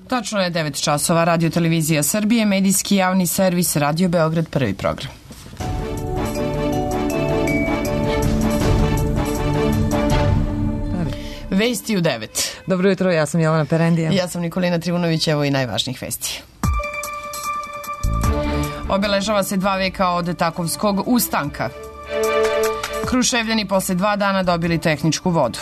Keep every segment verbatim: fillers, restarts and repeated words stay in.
Tačno je devet časova. Radio Televizija Srbije, medijski javni servis, Radio Beograd, prvi program. Vesti u devet. Dobro jutro, ja sam Jelena Perendija. Ja sam Nikolina Trivunović, evo i najvažnijih vesti. Obeležava se dva veka od Takovskog ustanka. Kruševljani posle dva dana dobili tehničku vodu.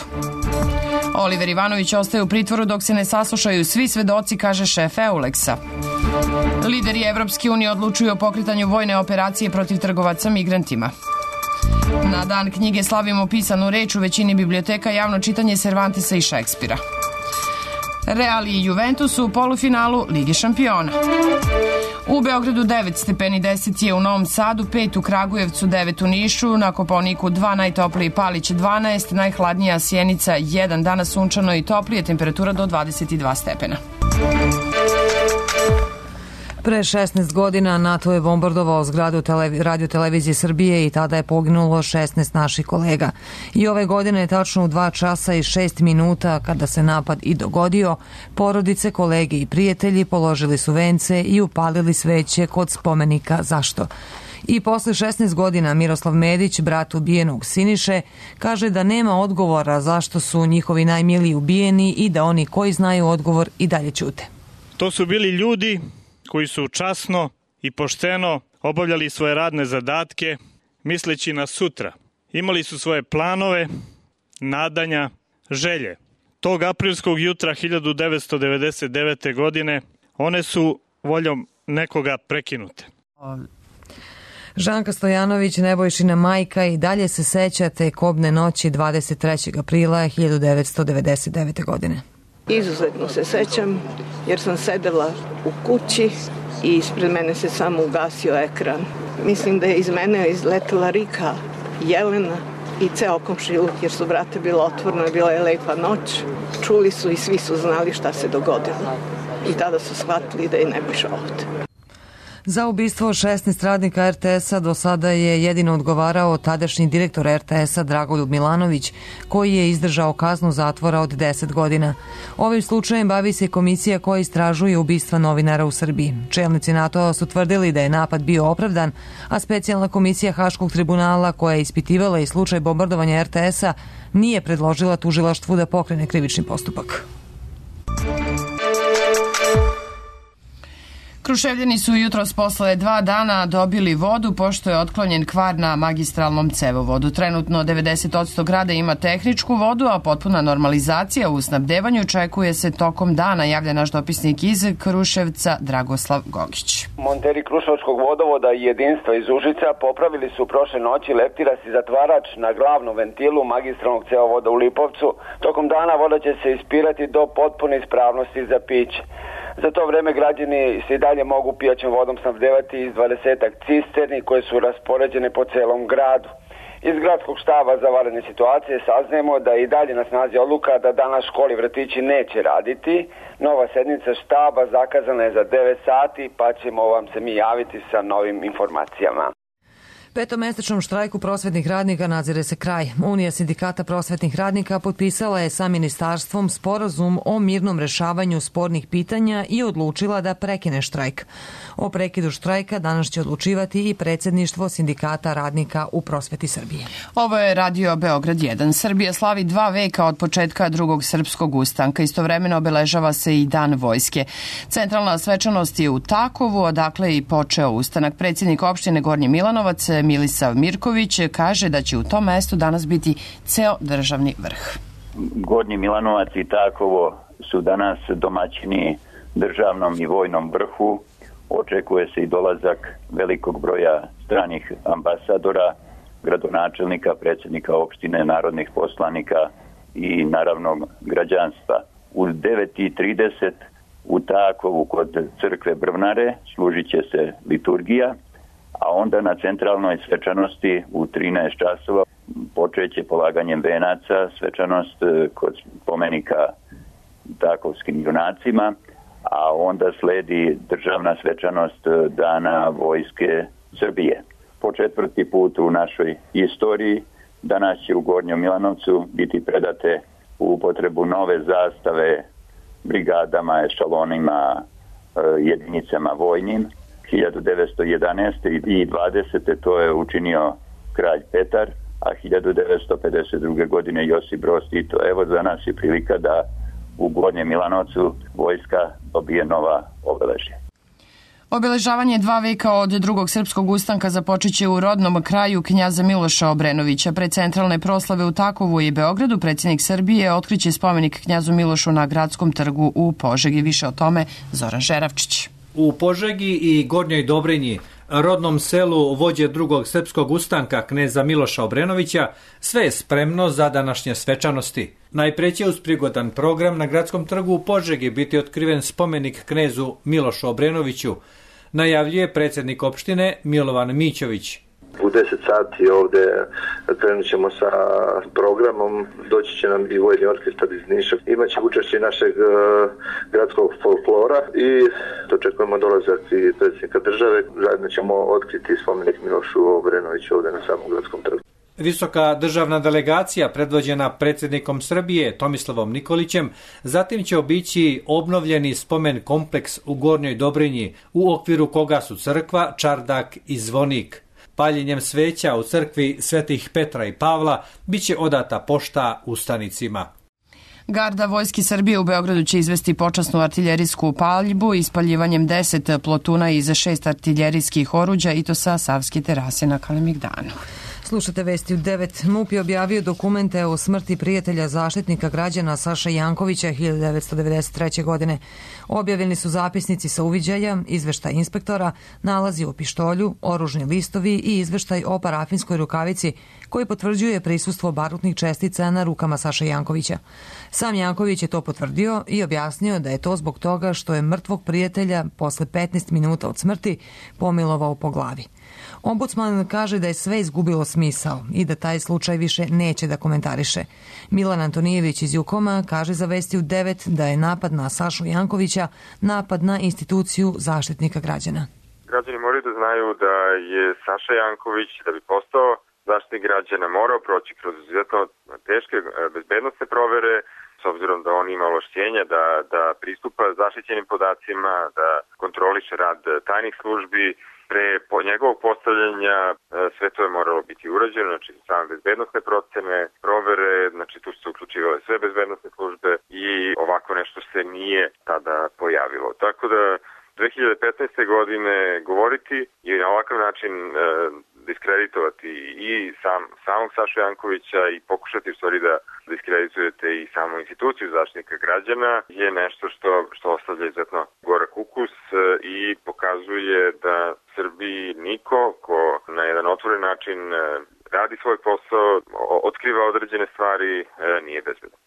Oliver Ivanović ostaje u pritvoru dok se ne saslušaju svi svedoci, kaže šef Euleksa. Lideri Evropske unije odlučuju o pokretanju vojne operacije protiv trgovaca migrantima. Na dan knjige slavimo pisanu reč u većini biblioteka, javno čitanje Cervantesa i Šekspira. Real i Juventus u polufinalu Lige šampiona. U Beogradu devet stepeni, deset je u Novom Sadu, pet u Kragujevcu, devet u Nišu, na Kopaoniku dva, najtopliji Palić dvanaest, najhladnija Sjenica jedan, danas sunčano i toplije, temperatura do dvadeset dva stepena. Pre šesnaest godina NATO je bombardovao zgradu televi- Radio Televizije Srbije i tada je poginulo šesnaest naših kolega. I ove godine je tačno u dva časa i šest minuta kada se napad i dogodio, porodice, kolege i prijatelji položili su vence i upalili sveće kod spomenika Zašto? I posle šesnaest godina Miroslav Medić, brat ubijenog Siniše, kaže da nema odgovora zašto su njihovi najmiliji ubijeni i da oni koji znaju odgovor i dalje ćute. To su bili ljudi koji su časno i pošteno obavljali svoje radne zadatke, misleći na sutra. Imali su svoje planove, nadanja, želje. Tog aprilskog jutra hiljadu devetsto devedeset devete. godine one su voljom nekoga prekinute. Žanka Stojanović, Nebojšina majka, i dalje se seća te kobne noći dvadeset trećeg aprila hiljadu devetsto devedeset devete. godine. Izuzetno se sećam jer sam sedela u kući i ispred mene se samo ugasio ekran. Mislim da je iz mene izletela Rika, Jelena i ceo komšiluk jer su vrata bila otvorena, bila je lepa noć. Čuli su i svi su znali šta se dogodilo. I tada su shvatili da je Nebojša ovde. Za ubistvo šesnaest radnika er te es-a do sada je jedino odgovarao tadašnji direktor er te es-a Dragoljub Milanović, koji je izdržao kaznu zatvora od deset godina. Ovim slučajem bavi se komisija koja istražuje ubistva novinara u Srbiji. Čelnici NATO su tvrdili da je napad bio opravdan, a specijalna komisija Haškog tribunala koja je ispitivala i slučaj bombardovanja er te es-a nije predložila tužilaštvu da pokrene krivični postupak. Kruševljani su jutros posle dva dana dobili vodu pošto je otklonjen kvar na magistralnom cevovodu. Trenutno devedeset posto grada ima tehničku vodu, a potpuna normalizacija u snabdevanju očekuje se tokom dana, javlja naš dopisnik iz Kruševca Dragoslav Gogić. Monteri Kruševačkog vodovoda i jedinstva iz Užica popravili su prošle noći leptiras i zatvarač na glavnom ventilu magistralnog cevovoda u Lipovcu. Tokom dana voda će se ispirati do potpune ispravnosti za piće. Za to vreme građani se i dalje mogu pijaćom vodom snabdevati iz dvadesetak cisterni koje su raspoređene po celom gradu. Iz gradskog štaba za vanredne situacije saznajemo da je i dalje na snazi odluka da danas školi i vrtići neće raditi. Nova sednica štaba zakazana je za devet sati, pa ćemo vam se mi javiti sa novim informacijama. Petomesečnom štrajku prosvetnih radnika nadzire se kraj. Unija sindikata prosvetnih radnika potpisala je sa ministarstvom sporazum o mirnom rešavanju spornih pitanja i odlučila da prekine štrajk. O prekidu štrajka danas će odlučivati i predsjedništvo sindikata radnika u prosveti Srbije. Ovo je Radio Beograd jedan. Srbija slavi dva veka od početka drugog srpskog ustanka. Istovremeno obeležava se i Dan vojske. Centralna svečanost je u Takovu, odakle i počeo ustanak. Predsjednik opštine Gornji Milanovac Milisav Mirković kaže da će u tom mestu danas biti ceo državni vrh. Gornji Milanovac i Takovo su danas domaćini državnom i vojnom vrhu. Očekuje se i dolazak velikog broja stranih ambasadora, gradonačelnika, predsjednika opštine, narodnih poslanika i naravno građanstva. U devet i trideset u Takovu kod crkve Brvnare služit će se liturgija, a onda na centralnoj svečanosti u trinaest časova počeće polaganjem venaca svečanost kod spomenika Takovskim junacima, a onda sledi državna svečanost Dana vojske Srbije. Po četvrti put u našoj istoriji danas će u Gornjem Milanovcu biti predate u upotrebu nove zastave brigadama, ešalonima, jedinicama vojnim. hiljadu devetsto jedanaeste. i dvadesete. to je učinio kralj Petar, a hiljadu devetsto pedeset druge. godine Josip Broz Tito. Evo za nas je prilika da u Gornjem Milanovcu vojska dobije nova obeležja. Obeležavanje dva veka od drugog srpskog ustanka započeće u rodnom kraju knjaza Miloša Obrenovića. Pred centralne proslave u Takovu i Beogradu predsjednik Srbije otkriće spomenik knjazu Milošu na Gradskom trgu u Požegi. Više o tome Zoran Žeravčić. U Požegi i Gornjoj Dobrinji, rodnom selu vođe drugog srpskog ustanka kneza Miloša Obrenovića, sve je spremno za današnje svečanosti. Najpre će uz prigodan program na Gradskom trgu u Požegi biti otkriven spomenik knezu Milošu Obrenoviću, najavljuje predsjednik opštine Milovan Mićović. U deset sati ovde krenut ćemo sa programom, doći će nam i vojni orkestar iz Niša, imaće učešće našeg uh, gradskog folklora i dočekujemo dolazak i predsjednika države. Zajedno ćemo otkriti spomenik Milošu Obrenoviću ovde na samom Gradskom trgu. Visoka državna delegacija predvođena predsjednikom Srbije Tomislavom Nikolićem zatim će obići obnovljeni spomen kompleks u Gornjoj Dobrinji u okviru koga su crkva, čardak i zvonik. Paljenjem sveća u crkvi Svetih Petra i Pavla biće odata pošta ustanicima. Garda Vojske Srbije u Beogradu će izvesti počasnu artiljerijsku paljbu ispaljivanjem deset plotuna iz šest artiljerijskih oruđa i to sa Savske terase na Kalemegdanu. Slušate vesti u devet. MUP je objavio dokumente o smrti prijatelja zaštitnika građana Saše Jankovića hiljadu devetsto devedeset treće. godine. Objavljeni su zapisnici sa uviđaja, izveštaj inspektora, nalazi o pištolju, oružni listovi i izveštaj o parafinskoj rukavici koji potvrđuje prisustvo barutnih čestica na rukama Saše Jankovića. Sam Janković je to potvrdio i objasnio da je to zbog toga što je mrtvog prijatelja posle petnaest minuta od smrti pomilovao po glavi. Ombudsman kaže da je sve izgubilo smisao i da taj slučaj više neće da komentariše. Milan Antonijević iz Jukoma kaže za vesti u devet da je napad na Sašu Jankovića napad na instituciju zaštitnika građana. Građani moraju da znaju da je Saša Janković, da bi postao zaštitnik građana, morao proći kroz izuzetno teške bezbednosne provere, s obzirom da on ima ovlašćenja da, da pristupa zaštićenim podacima, da kontroliše rad tajnih službi. Pre po njegovog postavljanja sve to je moralo biti urađeno, znači same bezbednosne procene, provere, znači tu su se uključivale sve bezbednosne službe i ovako nešto se nije tada pojavilo. Tako da dve hiljade petnaeste. godine govoriti i na ovakav način e, diskreditovati i sam, samog Sašu Jankovića i pokušati u stvari da diskreditujete i samu instituciju zaštitnika građana je nešto što, što ostavlja izuzetno gorak ukus i pokazuje da Srbiji niko ko na jedan otvoren način radi svoj posao, otkriva određene stvari, nije bezbedan.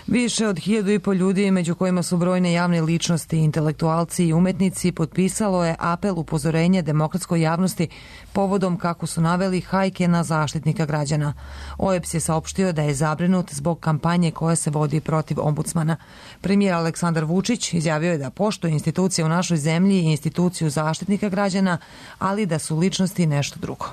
Više od hiljadu i po ljudi, među kojima su brojne javne ličnosti, intelektualci i umetnici, potpisalo je apel upozorenja demokratskoj javnosti povodom, kako su naveli, hajke na zaštitnika građana. O E B S je saopštio da je zabrinut zbog kampanje koja se vodi protiv ombudsmana. Premijer Aleksandar Vučić izjavio je da poštuje institucije u našoj zemlji i instituciju zaštitnika građana, ali da su ličnosti nešto drugo.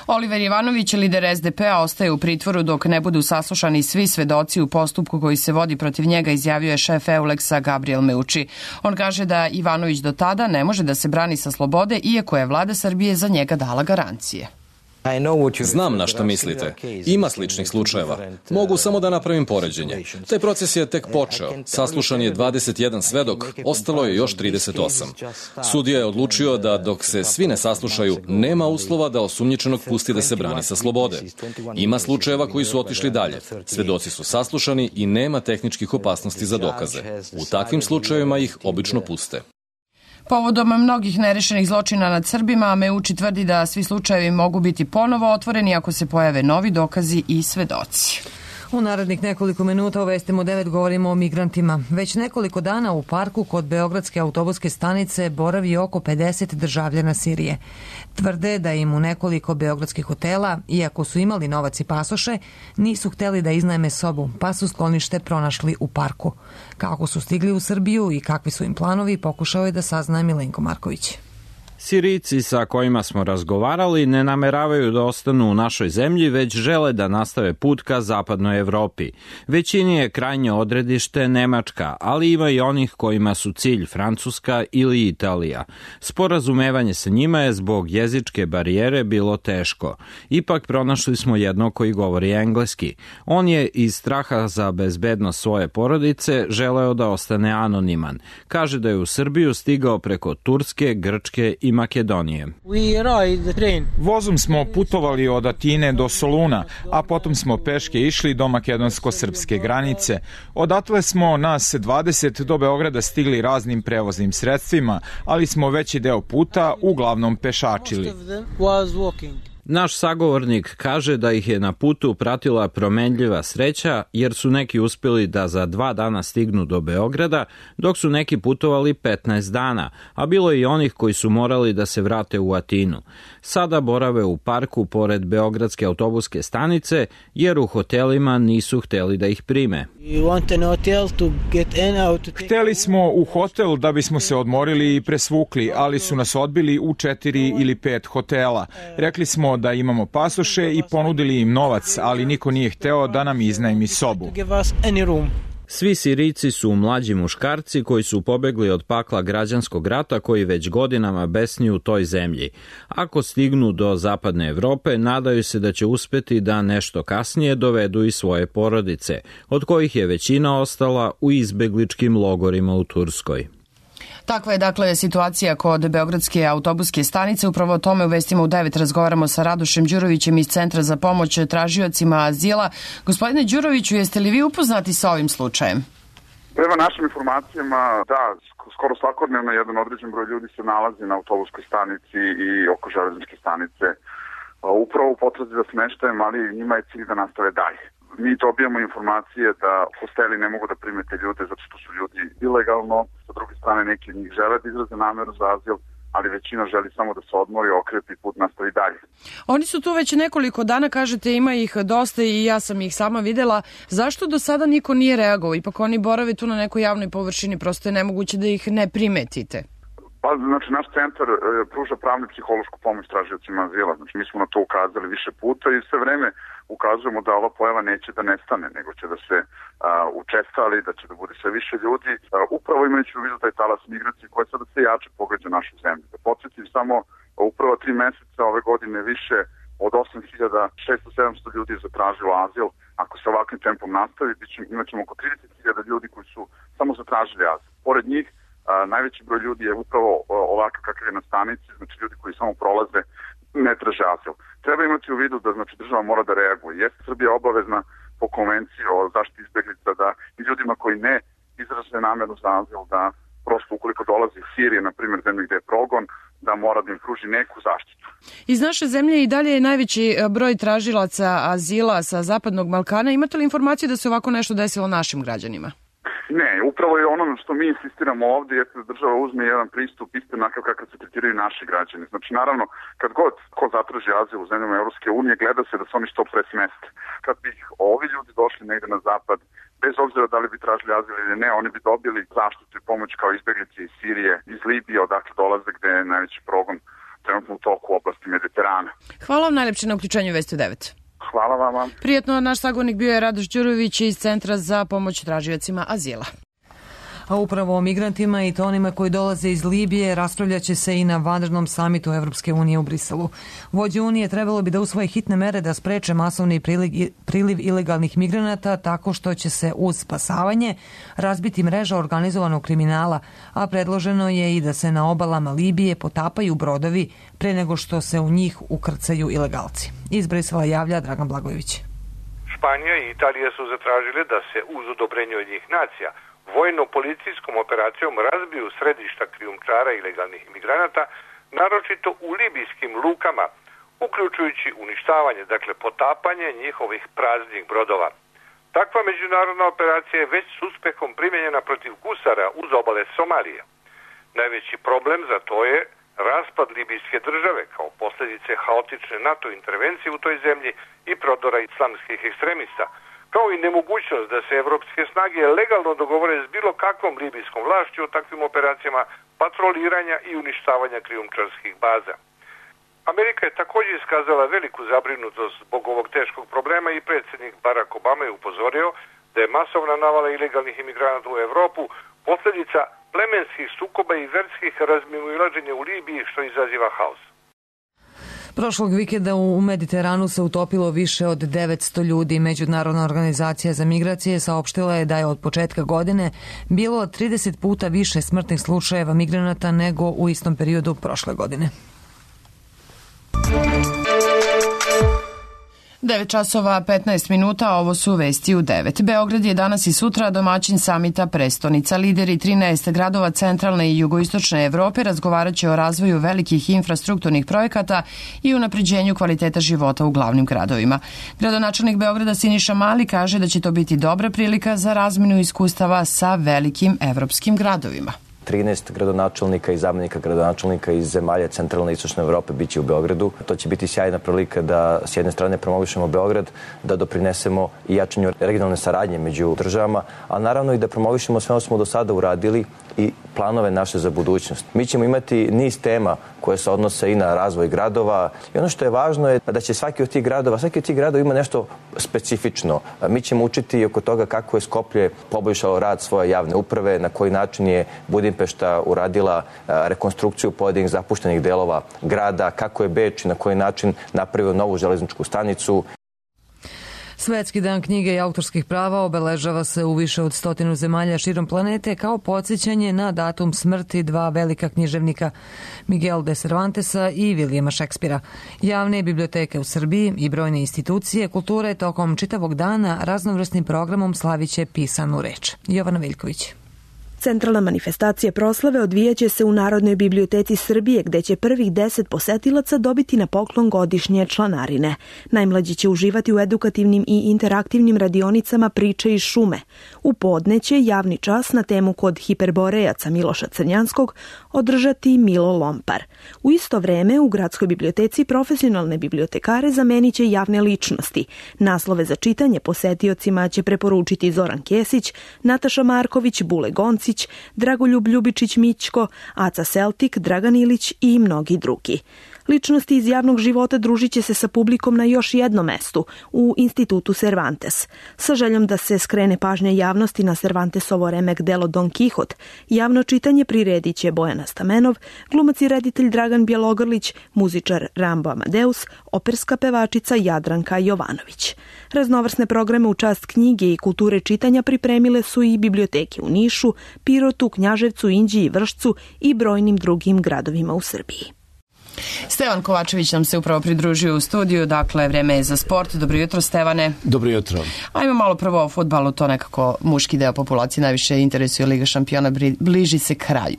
Oliver Ivanović, lider S D P-a, ostaje u pritvoru dok ne budu saslušani svi svedoci u postupku koji se vodi protiv njega, izjavio je šef Euleksa Gabriel Meuči. On kaže da Ivanović do tada ne može da se brani sa slobode, iako je vlada Srbije za njega dala garancije. Znam na što mislite. Ima sličnih slučajeva. Mogu samo da napravim poređenje. Taj proces je tek počeo. Saslušan je dvadeset jedan svedok, ostalo je još trideset osam. Sudija je odlučio da dok se svi ne saslušaju, nema uslova da osumnjičenog pusti da se brani sa slobode. Ima slučajeva koji su otišli dalje. Svedoci su saslušani i nema tehničkih opasnosti za dokaze. U takvim slučajevima ih obično puste. Povodom mnogih nerešenih zločina nad Srbima, Meuči tvrdi da svi slučajevi mogu biti ponovo otvoreni ako se pojave novi dokazi i svedoci. U narednih nekoliko minuta u Vestima u devet govorimo o migrantima. Već nekoliko dana u parku kod Beogradske autobuske stanice boravi oko pedeset državljana Sirije. Tvrde da im u nekoliko beogradskih hotela, iako su imali novac i pasoše, nisu hteli da iznajme sobu, pa su sklonište pronašli u parku. Kako su stigli u Srbiju i kakvi su im planovi, pokušao je da sazna Milenko Marković. Sirijci sa kojima smo razgovarali ne nameravaju da ostanu u našoj zemlji, već žele da nastave put ka zapadnoj Evropi. Većini je krajnje odredište Nemačka, ali ima i onih kojima su cilj Francuska ili Italija. Sporazumevanje sa njima je zbog jezičke barijere bilo teško. Ipak pronašli smo jednog koji govori engleski. On je iz straha za bezbednost svoje porodice želeo da ostane anoniman. Kaže da je u Srbiju stigao preko Turske, Grčke i Makedonije. Vozom smo putovali od Atine do Soluna, a potom smo peške išli do makedonsko-srpske granice. Odatle smo nas dvadeset do Beograda stigli raznim prevoznim sredstvima, ali smo veći deo puta uglavnom pešačili. Naš sagovornik kaže da ih je na putu pratila promenljiva sreća, jer su neki uspjeli da za dva dana stignu do Beograda, dok su neki putovali petnaest dana, a bilo je i onih koji su morali da se vrate u Atinu. Sada borave u parku pored Beogradske autobuske stanice, jer u hotelima nisu hteli da ih prime. Hteli smo u hotel da bismo se odmorili i presvukli, ali su nas odbili u četiri ili pet hotela. Rekli smo da imamo pasoše i ponudili im novac, ali niko nije hteo da nam iznajmi sobu. Svi Sirijci su mlađi muškarci koji su pobegli od pakla građanskog rata koji već godinama besni u toj zemlji. Ako stignu do zapadne Evrope, nadaju se da će uspeti da nešto kasnije dovedu i svoje porodice, od kojih je većina ostala u izbegličkim logorima u Turskoj. Takva je dakle situacija kod Beogradske autobuske stanice. Upravo o tome u Vestima u devet razgovaramo sa Radošem Đurovićem iz Centra za pomoć tražiocima azila. Gospodine Đuroviću, jeste li vi upoznati sa ovim slučajem? Prema našim informacijama, da, skoro svakodnevno jedan određen broj ljudi se nalazi na autobuskoj stanici i oko železničke stanice. Upravo u potrazi za smeštajem, ali njima je cilj da nastave dalje. Mi dobijamo informacije da hosteli ne mogu da primete ljude zato što su ljudi ilegalno, sa druge strane neki od njih žele da izraze nameru za azil, ali većina želi samo da se odmori, okrepi put nastavi dalje. Oni su tu već nekoliko dana, kažete, ima ih dosta i ja sam ih sama videla. Zašto do sada niko nije reagovao? Ipak oni borave tu na nekoj javnoj površini, prosto je nemoguće da ih ne primetite. Pa, znači, naš centar e, pruža pravnu i psihološku pomoć tražiocima azila. Znači, mi smo na to ukazali više puta i sve vreme ukazujemo da ova pojava neće da nestane, nego će da se a, učestali, da će da bude sve više ljudi. A, upravo imajući u vidu taj talas migracije koja sada sve jače pogađa našu zemlju. Da podsjetim samo, upravo tri meseca ove godine više od osam hiljada šesto do sedamsto ljudi je zatražilo azil. Ako se ovakvim tempom nastavi, imat ćemo oko trideset hiljada ljudi koji su samo zatražili azil. Pored njih, A, najveći broj ljudi je upravo ovakav kakav je na stanici, znači ljudi koji samo prolaze ne traže azil. Treba imati u vidu da znači država mora da reaguje. Jeste Srbija obavezna po konvenciji o zaštiti izbeglica da i ljudima koji ne izraze nameru za azil da prosto ukoliko dolazi iz Sirije, na primjer zemlje gde je progon, da mora da im pruži neku zaštitu. Iz naše zemlje i dalje je najveći broj tražilaca azila sa zapadnog Balkana. Imate li informaciju da se ovako nešto desilo našim građanima? Ne, upravo je ono što mi insistiramo ovdje jeste da država uzme jedan pristup isto onakav kakav se tretiraju naši građani. Znači naravno, kad god ko zatraži azil u zemljama Europske unije, gleda se da se oni što pre smeste. Kad bi ovi ljudi došli negde na zapad, bez obzira da li bi tražili azil ili ne, oni bi dobili zaštitu i pomoć kao izbeglice iz Sirije, iz Libije, odakle dolaze gde je najveći progon trenutno u toku u oblasti Mediterana. Hvala vam najlepše na uključenju Vesti u devet. Hvala vama. Prijetno, naš sagovornik bio je Radoš Đurović iz Centra za pomoć tražiocima azila. A upravo o migrantima i to onima koji dolaze iz Libije raspravljaće se i na vanrednom samitu Evropske unije u Briselu. Vođe Unije trebalo bi da usvoje hitne mere da spreče masovni priliv, priliv ilegalnih migranata tako što će se uz spasavanje razbiti mreža organizovanog kriminala, a predloženo je i da se na obalama Libije potapaju brodovi pre nego što se u njih ukrcaju ilegalci. Iz Brisela javlja Dragan Blagojević. Španija i Italija su zatražile da se uz odobrenje od njih nacija vojno-policijskom operacijom razbiju središta krijumčara ilegalnih imigranata, naročito u libijskim lukama, uključujući uništavanje, dakle potapanje njihovih praznih brodova. Takva međunarodna operacija je već s uspehom primjenjena protiv gusara uz obale Somalije. Najveći problem za to je raspad libijske države kao posljedice haotične NATO intervencije u toj zemlji i prodora islamskih ekstremista, kao i nemogućnost da se evropske snage legalno dogovore s bilo kakvom libijskom vlašću o takvim operacijama patroliranja i uništavanja krijumčarskih baza. Amerika je također iskazala veliku zabrinutost zbog ovog teškog problema i predsjednik Barack Obama je upozorio da je masovna navala ilegalnih imigranata u Evropu posljedica plemenskih sukoba i verskih razmimoilaženja u Libiji, što izaziva haos. Prošlog vikenda u Mediteranu se utopilo više od devetsto ljudi. Međunarodna organizacija za migracije saopštila je da je od početka godine bilo trideset puta više smrtnih slučajeva migranata nego u istom periodu prošle godine. devet časova petnaest minuta, ovo su vesti u devet. Beograd je danas i sutra domaćin samita prestonica. Lideri trinaest gradova centralne i jugoistočne Evrope razgovarat će o razvoju velikih infrastrukturnih projekata i unapređenju kvaliteta života u glavnim gradovima. Gradonačelnik Beograda Siniša Mali kaže da će to biti dobra prilika za razmenu iskustava sa velikim evropskim gradovima. trinaest gradonačelnika i zamenika gradonačelnika iz zemalja centralne i istočne Evrope biće u Beogradu. To će biti sjajna prilika da s jedne strane promovišemo Beograd, da doprinesemo i jačanju regionalne saradnje među državama, a naravno i da promovišemo sve ono smo do sada uradili i planove naše za budućnost. Mi ćemo imati niz tema koje se odnose i na razvoj gradova i ono što je važno je da će svaki od tih gradova, svaki od tih gradova ima nešto specifično. Mi ćemo učiti oko toga kako je Skoplje poboljšalo rad svoje javne uprave, na koji način je Budimpešta uradila rekonstrukciju pojedinih zapuštenih delova grada, kako je Beč i na koji način napravio novu železničku stanicu. Svetski dan knjige i autorskih prava obeležava se u više od stotinu zemalja širom planete kao podsjećanje na datum smrti dva velika književnika, Miguel de Cervantesa i Vilijama Šekspira. Javne biblioteke u Srbiji i brojne institucije kulture tokom čitavog dana raznovrsnim programom slaviće pisanu reč. Jovana Veljković. Centralna manifestacija proslave odvijaće se u Narodnoj biblioteci Srbije, gde će prvih deset posetilaca dobiti na poklon godišnje članarine. Najmlađi će uživati u edukativnim i interaktivnim radionicama priče iz šume. U podne će javni čas na temu Kod hiperborejaca Miloša Crnjanskog održati Milo Lompar. U isto vreme u Gradskoj biblioteci profesionalne bibliotekare zamenit će javne ličnosti. Naslove za čitanje posetiocima će preporučiti Zoran Kesić, Nataša Marković, Bule Gonci, Dragoljub Ljubičić-Mićko, Aca Seltik, Dragan Ilić i mnogi drugi. Ličnosti iz javnog života družit će se sa publikom na još jednom mestu, u Institutu Cervantes. Sa željom da se skrene pažnja javnosti na Cervantesovo remek delo Don Kihot, javno čitanje priredit će Bojana Stamenov, glumac i reditelj Dragan Bjelogrlić, muzičar Rambo Amadeus, operska pevačica Jadranka Jovanović. Raznovrsne programe u čast knjige i kulture čitanja pripremile su i biblioteke u Nišu, Pirotu, Knjaževcu, Inđiji i Vršcu i brojnim drugim gradovima u Srbiji. Stevan Kovačević nam se upravo pridružio u studiju, dakle vreme je za sport. Dobro jutro, Stevane. Dobro jutro. Ajmo malo prvo o fudbalu, to nekako muški deo populacije najviše interesuje. Liga šampiona bliži se kraju.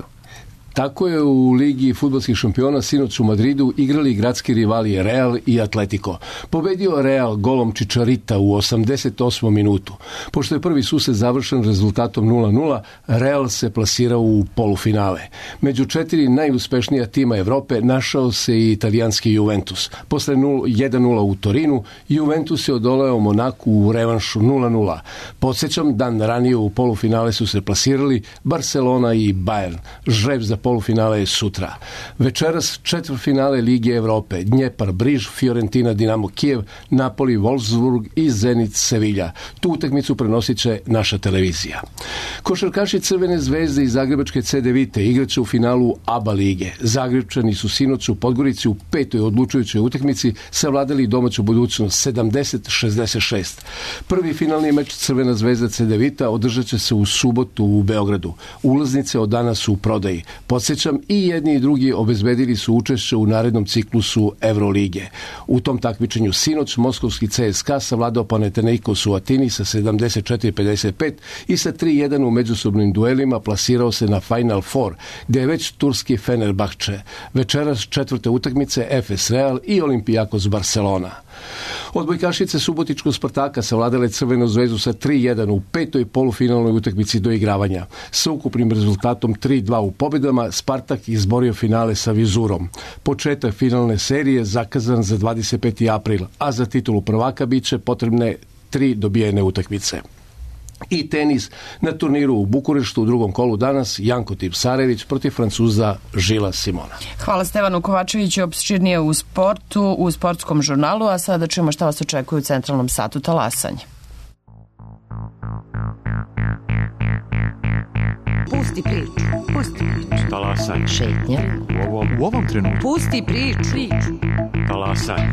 Tako je u Ligi fudbalskih šampiona sinoć u Madridu igrali gradski rivali Real i Atletico. Pobedio Real golom Čičarita u osamdeset osmom minutu. Pošto je prvi susret završen rezultatom nula nula, Real se plasirao u polufinale. Među četiri najuspešnija tima Evrope našao se i italijanski Juventus. Posle jedan nula u Torinu, Juventus je odoleo Monaku u revanšu nula nula. Podsjećam, dan ranije u polufinale su se plasirali Barcelona i Bayern. Žreb za polufinale je sutra. Večeras četvrtfinale Lige Evrope. Dnjepar, Briž, Fiorentina, Dinamo Kijev, Napoli, Wolfsburg i Zenit Sevilja. Tu utakmicu prenosit će naša televizija. Košarkaši Crvene zvezde i Zagrebačke C D Vite igraće u finalu A B A lige. Zagrebčani su sinoć u Podgorici u petoj odlučujućoj utakmici savladali domaću budućnost sedamdeset šezdeset šest. Prvi finalni meč Crvena zvezda C D Vita održat će se u subotu u Beogradu. Ulaznice od danas su u prodaji. Podsjećam, i jedni i drugi obezbedili su učešće u narednom ciklusu Evrolige. U tom takmičenju sinoć moskovski C S K A savladao Panathinaikos u Atini sa sedamdeset četiri pedeset pet i sa tri jedan u međusobnim duelima plasirao se na Final Four, gdje je već turski Fenerbahče. Večeras četvrte utakmice F S Real i Olimpijakos Barcelona. Odbojkašice Subotičkog Spartaka savladale Crvenu zvezdu sa tri jedan u petoj polufinalnoj utakmici do igravanja. Sa ukupnim rezultatom tri dva u pobjedama Spartak izborio finale sa Vizurom. Početak finalne serije zakazan za dvadeset peti april, a za titulu prvaka bit će potrebne tri dobijene utakmice. I tenis na turniru u Bukureštu u drugom kolu danas Janko Tipsarević protiv Francuza Žila Simona. Hvala Stevanu Kovačeviću, opširnije u sportu, u sportskom žurnalu, a sada čujemo šta vas očekuje u centralnom satu talasanje. Pusti priču, pusti priču. Talasanje. Šetnja. U ovom, u ovom trenutku. Pusti priču. priču. Talasanje.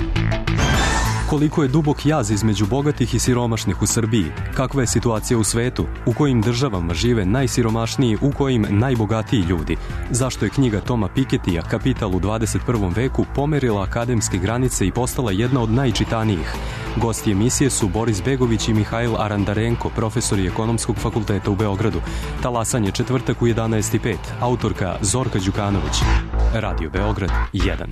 Koliko je dubok jaz između bogatih i siromašnih u Srbiji? Kakva je situacija u svetu? U kojim državama žive najsiromašniji, u kojim najbogatiji ljudi? Zašto je knjiga Toma Piketija Kapital u dvadeset prvom veku pomerila akademske granice i postala jedna od najčitanijih? Gosti emisije su Boris Begović i Mihajl Arandarenko, profesori Ekonomskog fakulteta u Beogradu. Talasanje četvrtak u jedanaest i pet. Autorka Zorka Đukanović. Radio Beograd jedan.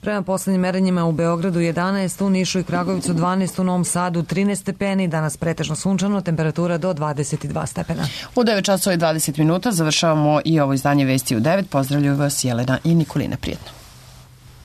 Prema poslednjim merenjima u Beogradu jedanaest, u Nišu i Kragovicu dvanaest, u Novom Sadu trinaest stepeni, danas pretežno sunčano, temperatura do dvadeset dva stepena. U devet časova i dvadeset minuta završavamo i ovo izdanje Vesti u devet. Pozdravljaju vas Jelena i Nikolina. Prijetno.